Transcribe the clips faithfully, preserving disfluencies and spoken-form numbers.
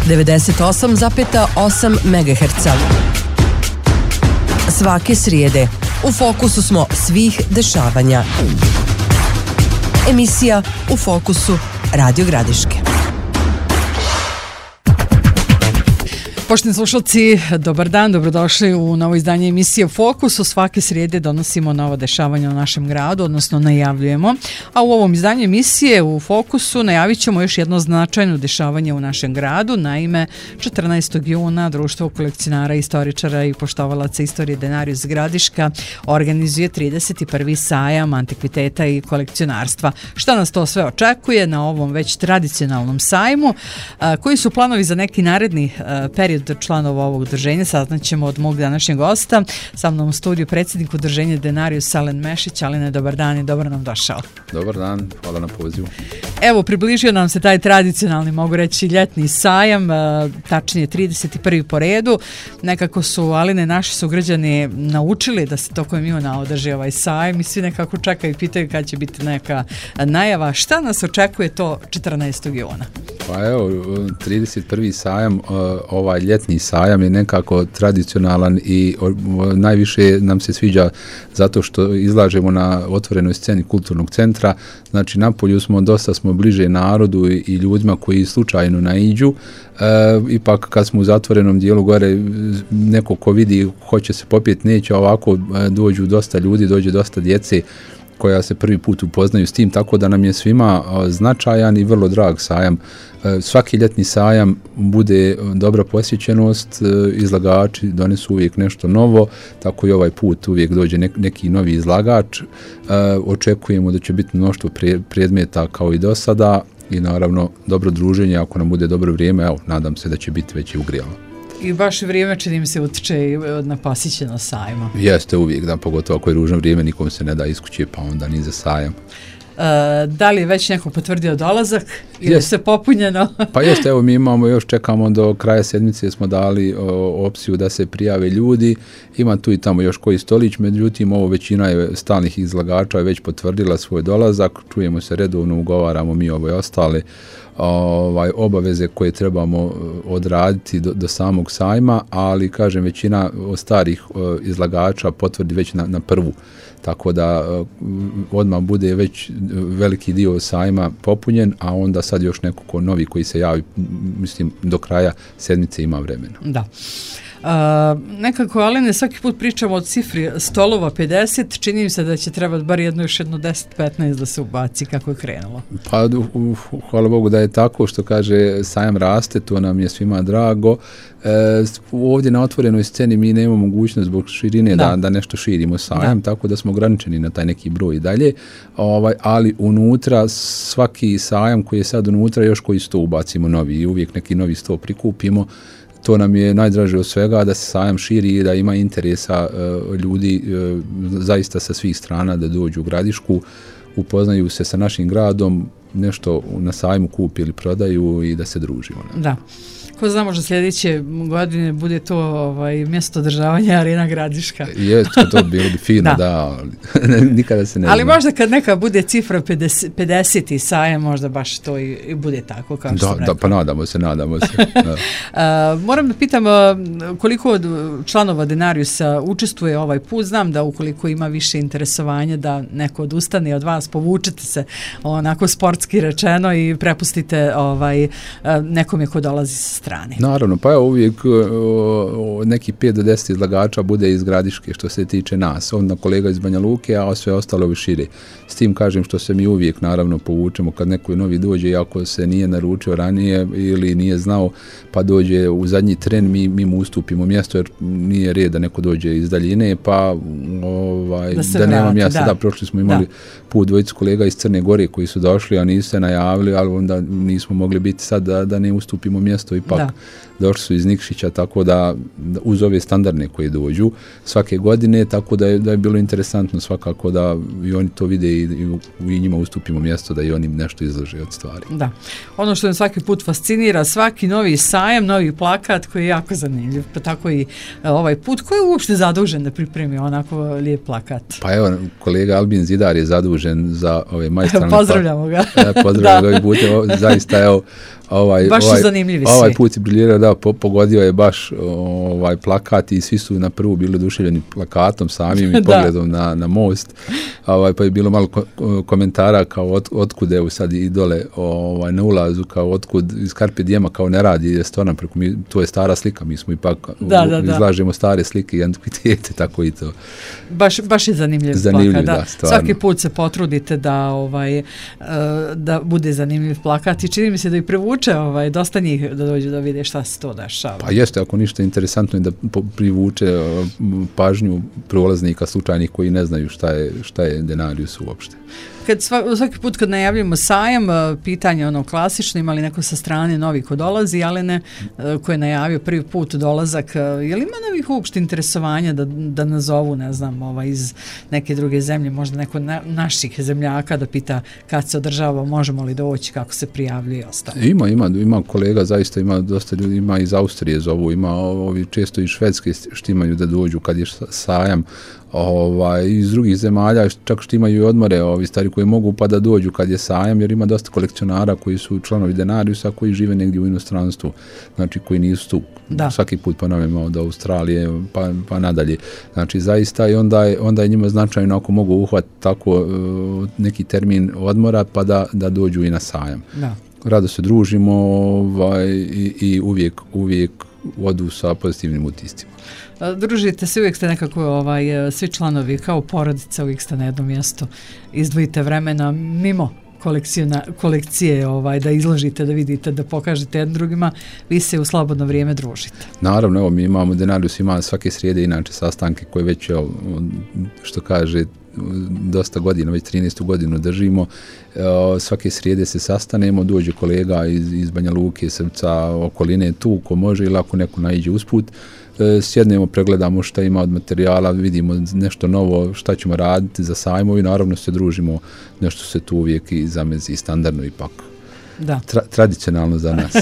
devedeset osam zarez osam megaherca. Svake srijede u fokusu smo svih dešavanja. Emisija U fokusu Radio Gradiške. Poštovani slušalci, dobar dan, dobrodošli u novo izdanje emisije Fokus. U svake srijede donosimo nova dešavanja u našem gradu, odnosno najavljujemo. A u ovom izdanju emisije u Fokusu najavit ćemo još jedno značajno dešavanje u našem gradu. Naime, četrnaestog juna Društvo kolekcionara, istoričara i poštovalaca istorije Denarius Gradiška organizuje trideset prvi sajam antikviteta i kolekcionarstva. Šta nas to sve očekuje na ovom već tradicionalnom sajmu? Koji su planovi za neki naredni period članova ovog udruženja saznaćemo od mog današnjeg gosta. Sa mnom u studiju predsjednik udruženja Denarius Alen Mešić. Alene, dobar dan i dobro nam došao. Dobar dan, hvala na pozivu. Evo, približio nam se taj tradicionalni, mogu reći, ljetni sajam, tačnije trideset prvi po redu. Nekako su, Alene, naši sugrađani naučili da se tokom Ivana održi ovaj sajam i svi nekako čekaju i pitaju kad će biti neka najava. Šta nas očekuje to četrnaestog juna? Pa evo, trideset prvi sajam, ovaj ljetni sajam je nekako tradicionalan i najviše nam se sviđa zato što izlažemo na otvorenoj sceni kulturnog centra. Znači, napolju smo, dosta smo bliže narodu i ljudima koji slučajno naiđu. E, ipak kad smo u zatvorenom dijelu gore, neko ko vidi hoće se popijeti, neće, ovako dođu dosta ljudi, dođe dosta djece koja se prvi put upoznaju s tim, tako da nam je svima značajan i vrlo drag sajam. Svaki ljetni sajam bude dobra posjećenost, izlagači donesu uvijek nešto novo, tako i ovaj put uvijek dođe neki novi izlagač. Očekujemo da će biti mnoštvo predmeta kao i do sada i naravno dobro druženje, ako nam bude dobro vrijeme, evo, nadam se da će biti već i ugrijalo. I baš vrijeme čini mi se utiče na posjećeno sajma. Jeste uvijek, da, pogotovo ako je ružno vrijeme, nikom se ne da iz kuće, pa onda ni za sajam. Uh, da li je već neko potvrdio dolazak ili je sve popunjeno? Pa jeste, evo mi imamo, još čekamo do kraja sedmice, smo dali o, opciju da se prijave ljudi, ima tu i tamo još koji stolić, međutim ovo većina je stalnih izlagača je već potvrdila svoj dolazak, čujemo se redovno, ugovaramo mi ove ostale ovaj, obaveze koje trebamo odraditi do, do samog sajma, ali kažem većina od starih izlagača potvrdi već na, na prvu. Tako da odmah bude već veliki dio sajma popunjen, a onda sad još neko ko novi koji se javi, mislim, do kraja sedmice ima vremena. Da. Uh, nekako, Alene, svaki put pričamo o cifri stolova pedeset, čini mi se da će trebati bar jedno još jedno deset petnaest da se ubaci kako je krenulo. Pa, uh, hvala Bogu da je tako, što kaže, sajam raste, to nam je svima drago. E, ovdje na otvorenoj sceni mi nemamo mogućnost zbog širine da, da, da nešto širimo sajam, da. Tako da smo ograničeni na taj neki broj i dalje, ovaj, ali unutra svaki sajam koji je sad unutra još koji sto ubacimo novi i uvijek neki novi sto prikupimo. To nam je najdraže od svega, da se sajam širi i da ima interesa uh, ljudi uh, zaista sa svih strana da dođu u Gradišku, upoznaju se sa našim gradom, nešto na sajmu kupi ili prodaju i da se družimo. Ne? Da. Ko zna, možda sljedeće godine bude to ovaj, mjesto održavanja Arena Gradiška. Jeste, to bilo bi fino, da, da ali nikada se ne ali zna. Možda kad neka bude cifra pedeset, pedeset i sajam, možda baš to i, i bude tako, kao što da, sam rekao. Da, pa nadamo se, nadamo se. Da. uh, moram da pitam uh, koliko od članova Denariusa učestvuje ovaj put. Znam da ukoliko ima više interesovanja da neko odustane od vas, povučete se onako sportski rečeno i prepustite ovaj, uh, nekome ko dolazi sa strane. Naravno, pa evo uvijek o, neki pet do deset izlagača bude iz Gradiške što se tiče nas, onda kolega iz Banja Luke, a sve ostalo bi šire. S tim kažem što se mi uvijek naravno povučemo kad neko novi dođe, iako se nije naručio ranije ili nije znao, pa dođe u zadnji tren, mi, mi mu ustupimo mjesto jer nije red da neko dođe iz daljine, pa ovaj, da, da nema mjesta. Da. da, prošli smo imali da. put dvojicu kolega iz Crne Gore koji su došli, a nisu se najavili, ali onda nismo mogli biti sad da, da ne ustupimo mjesto, ipak da. došli su iz Nikšića, tako da, da uz ove standardne koje dođu svake godine, tako da je, da je bilo interesantno svakako da i oni to vide i, i, i njima ustupimo mjesto da i oni nešto izlože od stvari. Da. Ono što nam svaki put fascinira, svaki novi sajam, novi plakat koji je jako zanimljiv, pa tako i ovaj put. Ko je uopšte zadužen da pripremi onako lijep plakat? Pa evo, kolega Albin Zidar je zadužen za ove majstralne. Pozdravljamo ga. Ja, pozdravljamo ga ovih putem. Zaista, evo, Ovaj, baš ovaj, su zanimljivi ovaj svi. put je briljirao, da, po, pogodio je baš ovaj plakat i svi su na prvu bili oduševljeni plakatom samim i pogledom na, na most. Ovaj, pa je bilo malo ko, komentara kao od, otkud evo sad i dole ovaj, na ulazu, kao otkud iz Carpe Diema kao ne radi restoran, preko mi, to je stara slika, mi smo ipak da, da, da. izlažemo stare slike i antikvitete, tako i to. Baš, baš je zanimljiv, zanimljiv plakat. Da. Da, stvarno. Svaki put se potrudite da, ovaj, da bude zanimljiv plakat i čini mi se da i privuče ovaj, dosta njih da dođu da vide šta se to dešava. Pa jeste, ako ništa interesantno je da privuče pažnju prolaznika slučajnih koji ne znaju šta je, šta je Denarius uopšte. Kad sva, svaki put kad najavljamo sajam, pitanje ono klasično, ima li neko sa strane novi ko dolazi, ali ne ko je najavio prvi put dolazak, je li ima novih uopšte interesovanja da, da nazovu, ne znam, ovaj, iz neke druge zemlje, možda neko na, naših zemljaka da pita kad se održava, možemo li doći, kako se prijavljuje i ostalo? Ima, ima, ima kolega, zaista ima dosta ljudi, ima iz Austrije zovu, ima ovi često iz Švedske štimaju da dođu kad je sajam, ovaj, iz drugih zemalja, čak što imaju i odmore, ovi stari koji mogu pa da dođu kad je sajam, jer ima dosta kolekcionara koji su članovi Denariusa, koji žive negdje u inostranstvu, znači koji nisu tu. Da. Svaki put ponavljamo od Australije pa, pa nadalje. Znači zaista i onda je, onda je njima značajno ako mogu uhvatiti tako uh, neki termin odmora pa da, da dođu i na sajam. Da. Rado se družimo ovaj, i, i uvijek, uvijek odu sa pozitivnim utiscima. Družite se, uvijek ste nekako ovaj, svi članovi kao porodica, uvijek ste na jednom mjestu, izdvojite vremena mimo kolekcije ovaj, da izložite, da vidite, da pokažete jednim drugima, vi se u slobodno vrijeme družite. Naravno, evo mi imamo, Denarius ima svake srijede inače sastanke koje već, evo, što kaže, dosta godina, već trinaestu godinu držimo, svake srijede se sastanemo, dođe kolega iz, iz Banja Luke, Srpca, okoline tu, ko može ili ako neko naiđe usput, sjednemo, pregledamo šta ima od materijala, vidimo nešto novo, šta ćemo raditi za sajmo i naravno se družimo, nešto se tu uvijek i zamezi standardno ipak. Da. Tra, tradicionalno za nas.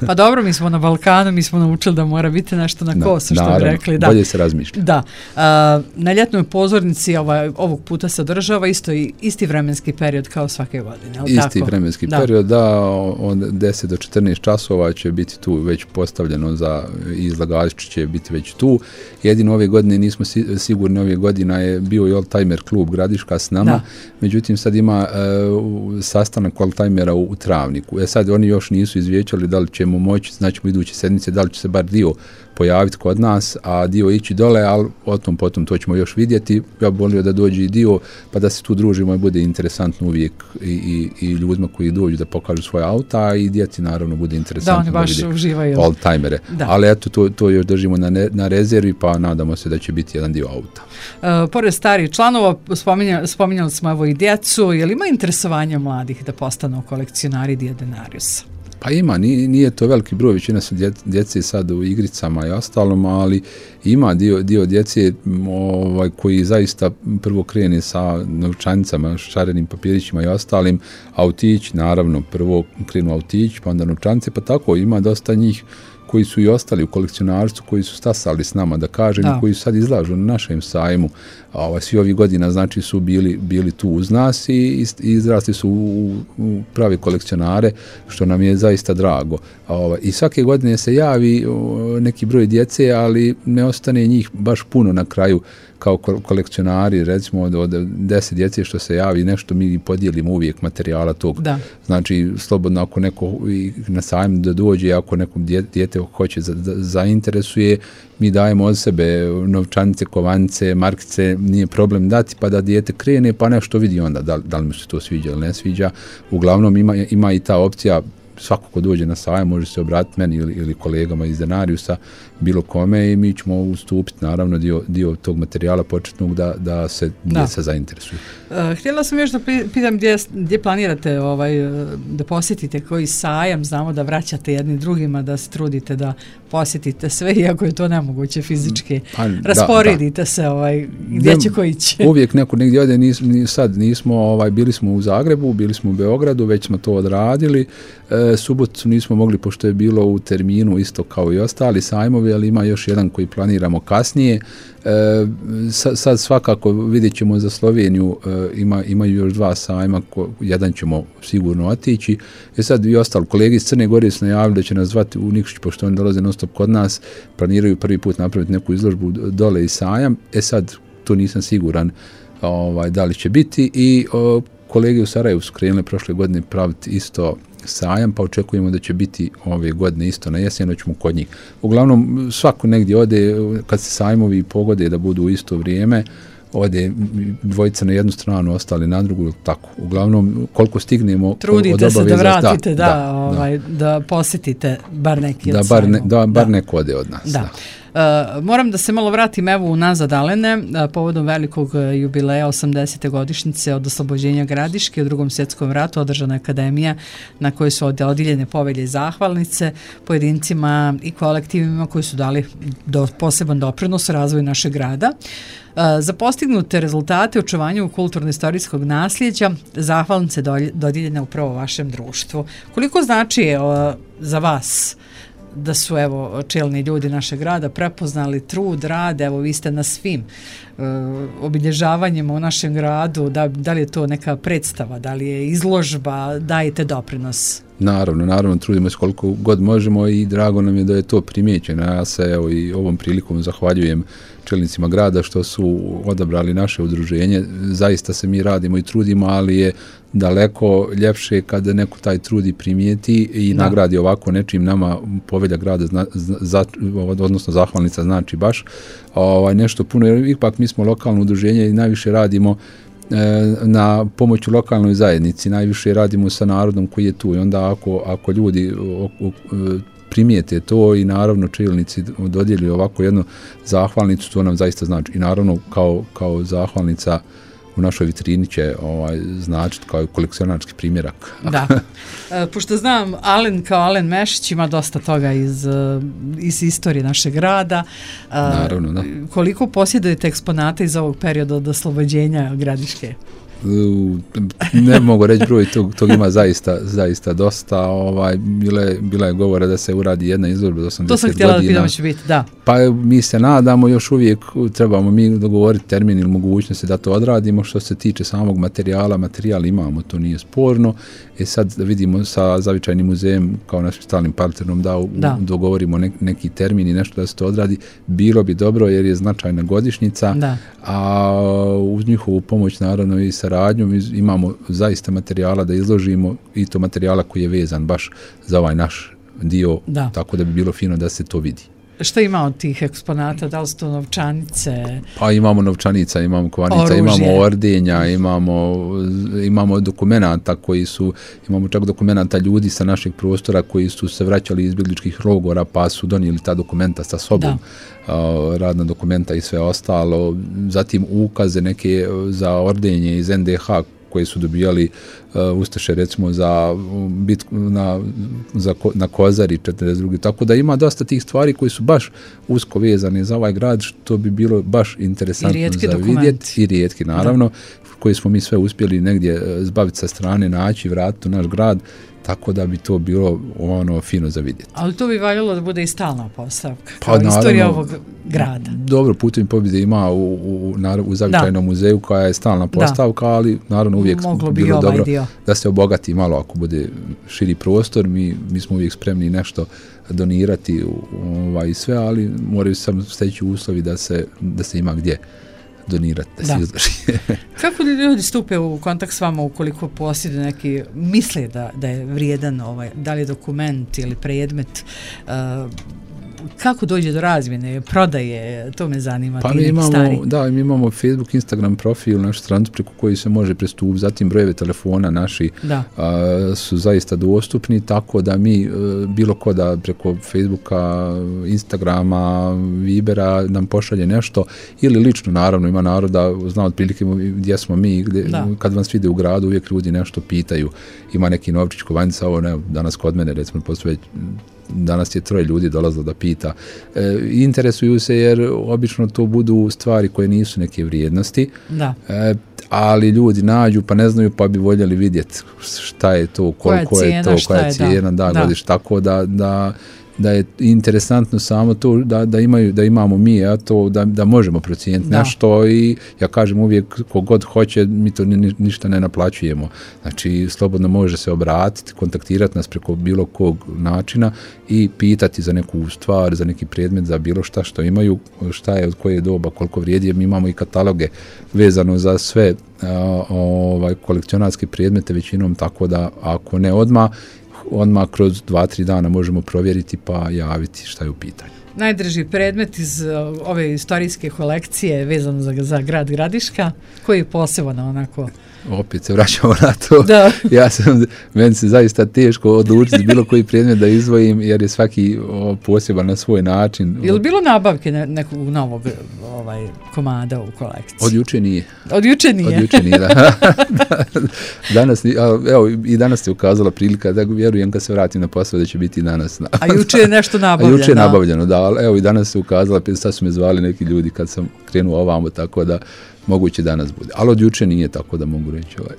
Pa dobro, mi smo na Balkanu, mi smo naučili da mora biti nešto na kosu, što bi rekli. Da. Bolje se razmišlja. Da. A, na ljetnoj pozornici ovaj, ovog puta se održava isto i isti vremenski period kao svake godine. Ali isti tako? vremenski da. period, da, od deset do četrnaest časova će biti tu već postavljeno za izlagači će biti već tu. Jedino ove godine nismo sigurni, ove godina je bio i Oldtimer klub Gradiška s nama, da. Međutim sad ima uh, sastanak Oldtimera u, u travni. E sad oni još nisu izvijećali da li ćemo moći, znači u iduće sedmice, da li će se bar dio pojaviti kod nas, a dio ići dole, ali o tom potom to ćemo još vidjeti. Ja bih volio da dođe i dio, pa da se tu družimo i bude interesantno uvijek i, i, i ljudima koji dođu da pokažu svoje auta i djeci naravno bude interesantno da, oni baš da uživaju. Oldtimere. Ali eto, to, to još držimo na, ne, na rezervi, pa nadamo se da će biti jedan dio auta. Uh, pored starih članova, spominjali, spominjali smo evo i djecu, je li ima interesovanja mladih da postanu kolekcionari Denariusa? Pa ima, nije, nije to veliki broj, većina su dje, djece sad u igricama i ostalom, ali ima dio, dio djece ovaj, koji zaista prvo krene sa novčanicama, šarenim papirićima i ostalim, autići, naravno, prvo krenu autići, pa onda novčanice, pa tako ima dosta njih koji su i ostali u kolekcionarstvu, koji su stasali s nama, da kažem, da. Koji su sad izlažu na našem sajmu. Ovaj, svi ovih godina, znači, su bili, bili tu uz nas i, i izrasli su u, u pravi kolekcionare, što nam je zaista drago. Ovaj, i svake godine se javi neki broj djece, ali ne ostane njih baš puno na kraju kao kolekcionari, recimo od, od deset djece što se javi, nešto mi podijelimo uvijek materijala tog. Da. Znači, slobodno ako neko na sajmu da dođe, ako nekom dijete hoće za, za, zainteresuje, mi dajemo od sebe novčanice, kovanice, markice, nije problem dati, pa da dijete krene, pa nešto vidi onda da, da li mu se to sviđa ili ne sviđa. Uglavnom ima, ima i ta opcija, svako ko dođe na sajam može se obratiti meni ili, ili kolegama iz Denariusa, bilo kome i mi ćemo ustupiti naravno dio, dio tog materijala početnog da, da se djeca zainteresuju. Uh, htjela sam još da pitam gdje, gdje planirate ovaj, da posjetite koji sajam, znamo da vraćate jedni drugima, da se trudite da posjetite sve, iako je to nemoguće fizički. Pa, rasporedite da, da. se ovaj, gdje ne, će koji će. Uvijek neko negdje ode, nis, nis, sad nismo, ovaj, bili smo u Zagrebu, bili smo u Beogradu, već smo to odradili. E, E, subotu nismo mogli, pošto je bilo u terminu isto kao i ostali sajmovi, ali ima još jedan koji planiramo kasnije. E, sad svakako vidjet ćemo za Sloveniju, e, ima, imaju još dva sajma, ko, jedan ćemo sigurno otići. E sad i ostali kolegi iz Crne Gore su najavili da će nas zvati u Nikšić, pošto oni dolaze non stop kod nas, planiraju prvi put napraviti neku izložbu dole i sajam. E sad, tu nisam siguran ovaj, da li će biti i o, kolege u Sarajevu su krenuli prošle godine praviti isto sajam, pa očekujemo da će biti ove godine isto na jesen, ćemo kod njih. Uglavnom, svako negdje ode, kad se sajmovi pogode da budu u isto vrijeme, ode dvojica na jednu stranu, ostali na drugu, tako. Uglavnom, koliko stignemo trudite od obaveza, se da vratite, da, da, da, ovaj, da. da posjetite bar neki da, od bar ne, sajmova. da, bar da. neko ode od nas. Da. da. Uh, moram da se malo vratim evo unazad, Alene, uh, povodom velikog uh, jubileja osamdesete godišnjice od oslobođenja Gradiške u Drugom svjetskom ratu održana je akademija na kojoj su odijeljene povelje i zahvalnice pojedincima i kolektivima koji su dali do, poseban doprinos razvoju našeg grada. Uh, za postignute rezultate u očuvanju kulturno-istorijskog nasljeđa zahvalnice dodijeljene upravo vašem društvu. Koliko znači uh, za vas da su evo čelni ljudi našeg grada prepoznali trud, rad, evo vi ste na svim uh, obilježavanjima u našem gradu, da, da li je to neka predstava, da li je izložba, dajete doprinos? Naravno, naravno, trudimo se koliko god možemo i drago nam je da je to primijećeno. Ja se evo i ovom prilikom zahvaljujem čelnicima grada što su odabrali naše udruženje. Zaista se mi radimo i trudimo, ali je daleko ljepše kada neko taj trud i primijeti i da. nagradi ovako nečim. Nama povelja grada, zna, za, odnosno zahvalnica znači baš ovaj, nešto puno, jer ipak mi smo lokalno udruženje i najviše radimo na pomoću lokalnoj zajednici, najviše radimo sa narodom koji je tu i onda ako, ako ljudi o, o, primijete to i naravno čelnici dodijeli ovako jednu zahvalnicu, to nam zaista znači i naravno kao, kao zahvalnica u našoj vitrini će ovaj, značiti kao kolekcionarski primjerak. Da. E, pošto znam, Alen kao Alen Mešić ima dosta toga iz, iz istorije našeg grada. E, Naravno, da. Koliko posjedujete eksponata iz ovog perioda od oslobođenja Gradiške? Ne mogu reći broj, tog, tog ima zaista, zaista dosta. Ovaj, bila, je, bila je govora da se uradi jedna izložba za osamdeset godina. To sam htjela da pitam će biti, da. Pa mi se nadamo, još uvijek trebamo mi dogovoriti termin ili mogućnosti da to odradimo. Što se tiče samog materijala, materijal imamo, to nije sporno. E sad da vidimo sa Zavičajnim muzejem kao našim stalnim partnerom da, u, da. dogovorimo ne, neki termin i nešto da se to odradi. Bilo bi dobro jer je značajna godišnjica, da. A uz njihovu pomoć naravno i saradnju imamo zaista materijala da izložimo i to materijala koji je vezan baš za ovaj naš dio, da. Tako da bi bilo fino da se to vidi. Što ima od tih eksponata? Da li su to novčanice? Pa imamo novčanica, imamo kovanica, oružje. Imamo ordenja, imamo, imamo dokumenta koji su, imamo čak dokumenta ljudi sa našeg prostora koji su se vraćali iz izbjegličkih logora pa su donijeli ta dokumenta sa sobom, uh, radna dokumenta i sve ostalo. Zatim ukaze neke za ordenje iz en de ha koji su dobijali uh, Ustaše recimo za bitku na, za, na Kozari četrdeset druge Tako da ima dosta tih stvari koji su baš usko vezane za ovaj grad, što bi bilo baš interesantno za vidjeti. I rijetki, naravno, da. Koji smo mi sve uspjeli negdje zbaviti sa strane, naći, vratiti u naš grad, tako da bi to bilo ono fino za vidjeti. Ali to bi valjalo da bude i stalna postavka, kao pa, naravno, istorija ovog grada. Dobro, Putem pobjede ima u, u, u Zavičajnom da. muzeju koja je stalna postavka, da. ali naravno uvijek Moglo bi bilo ovaj dobro dio. Da se obogati malo ako bude širi prostor. Mi, mi smo uvijek spremni nešto donirati ovaj, sve, ali moraju samo steći uslovi da se, da se ima gdje donirati, da, da se izloži. Kako ljudi stupe u kontakt s vama ukoliko posjeduju neki, misle da, da je vrijedan, ovaj, da li je dokument ili predmet, uh, kako dođe do razmjene, prodaje, to me zanima. Pa mi imamo, stari. Da, mi imamo Facebook, Instagram profil, našu stranicu preko koji se može pristupiti, zatim brojeve telefona naši a, su zaista dostupni, tako da mi a, bilo ko da preko Facebooka, Instagrama, Vibera nam pošalje nešto ili lično, naravno, ima naroda, zna otprilike gdje smo mi, gdje, kad vas vide u gradu, uvijek ljudi nešto pitaju, ima neki novčić kovanjica, ovo ne, danas kod mene, recimo, postoje danas je troje ljudi dolazilo da pita. E, interesuju se jer obično to budu stvari koje nisu neke vrijednosti, da. E, ali ljudi nađu pa ne znaju pa bi voljeli vidjeti šta je to, koliko je, cijena, je to, koja je cijena, da, da, godiš, tako da, da da je interesantno samo to da, da, imaju, da imamo mi, a to da, da možemo procijeniti nešto i ja kažem uvijek kogod hoće, mi to ni, ništa ne naplaćujemo. Znači, slobodno može se obratiti, kontaktirati nas preko bilo kog načina i pitati za neku stvar, za neki predmet, za bilo šta što imaju, šta je, od koje doba, koliko vrijedi, jer mi imamo i kataloge vezano za sve a, ovaj, kolekcionarske predmete većinom, tako da ako ne odmah, odmah kroz dva, tri dana možemo provjeriti pa javiti šta je u pitanju. Najdraži predmet iz ove istorijske kolekcije vezano za, za grad Gradiška, koji je posebno onako... Opet se vraćamo na to. Da. Ja sam, meni se zaista teško odlučiti bilo koji predmet da izdvojim, jer je svaki o, poseban na svoj način. Je li bilo nabavke ne, nekog novog ovaj, komada u kolekciji? Od juče nije. Od juče nije? Od juče nije, da. Danas, evo, i danas se ukazala prilika, da vjerujem kad se vratim na posao da će biti i danas. Da. A juče je nešto nabavljeno? A juče je nabavljeno, da, ali evo i danas se ukazala, sad su me zvali neki ljudi kad sam krenuo ovamo, tako da moguće danas bude. Ali od juče nije, tako da mogu reći ovaj.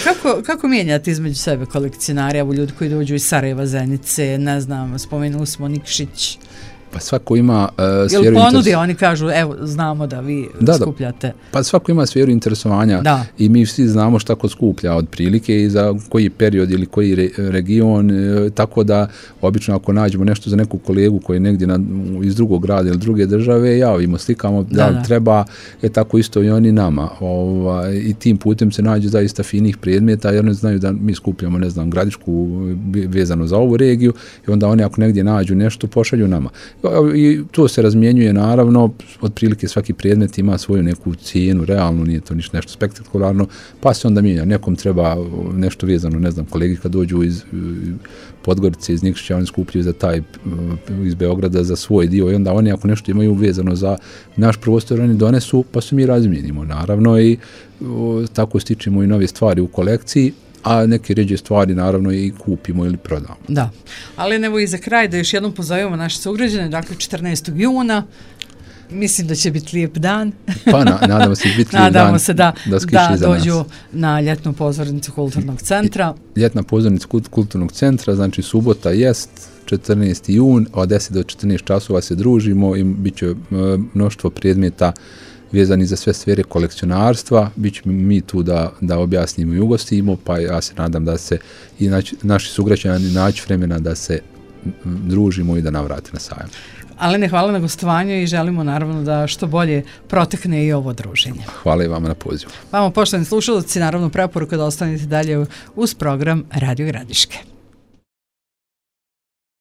kako, kako mijenjate između sebe kolekcionari, evo ljudi koji dođu iz Sarajeva, Zenice, ne znam, spomenuli smo Nikšić. Pa svako ima uh, sferu Jel ponudi, interes... oni kažu, evo, znamo da vi da, skupljate. Da. Pa svako ima sferu interesovanja da. I mi svi znamo šta ko skuplja od prilike i za koji period ili koji re, region, e, tako da obično ako nađemo nešto za neku kolegu koji je negdje na, iz drugog grada ili druge države, javimo, slikamo, da, da treba, je tako isto i oni nama. Ovaj, i tim putem se nađe zaista finih predmeta, jer ne znaju da mi skupljamo, ne znam, Gradišku vezano za ovu regiju i onda oni ako negdje nađu nešto, pošalju nama. I to se razmjenjuje naravno, otprilike svaki predmet ima svoju neku cijenu, realno nije to ništa nešto spektakularno, pa se onda mijenja. Nekom treba nešto vezano, ne znam, kolegi kad dođu iz Podgorice, iz Nikšića, oni skupljaju za taj, iz Beograda za svoj dio i onda oni ako nešto imaju vezano za naš prostor, oni donesu, pa se mi razmijenimo naravno i o, tako stičemo i nove stvari u kolekciji, a neke ređe stvari naravno i kupimo ili prodamo. Da, ali evo i za kraj da još jednom pozovemo naše sugrađane, dakle četrnaestog juna, mislim da će biti lijep dan. Pa na, nadamo se biti lijep nadamo dan. se da, da, da dođu nas. Na ljetnu pozornicu kulturnog centra. Ljetna pozornica kulturnog centra, znači subota jest četrnaesti jun, od deset do četrnaest časova se družimo i bit će mnoštvo predmeta vezani za sve sfere kolekcionarstva, bit ćemo mi tu da, da objasnimo i ugostimo, pa ja se nadam da se i naći, naši sugrađani naći vremena da se družimo i da navrate na sajam. Alene, hvala na gostovanju i želimo naravno da što bolje protekne i ovo druženje. Hvala i vama na pozivu. Vama, poštovani slušalci, naravno preporuka da ostanete dalje uz program Radio Gradiške.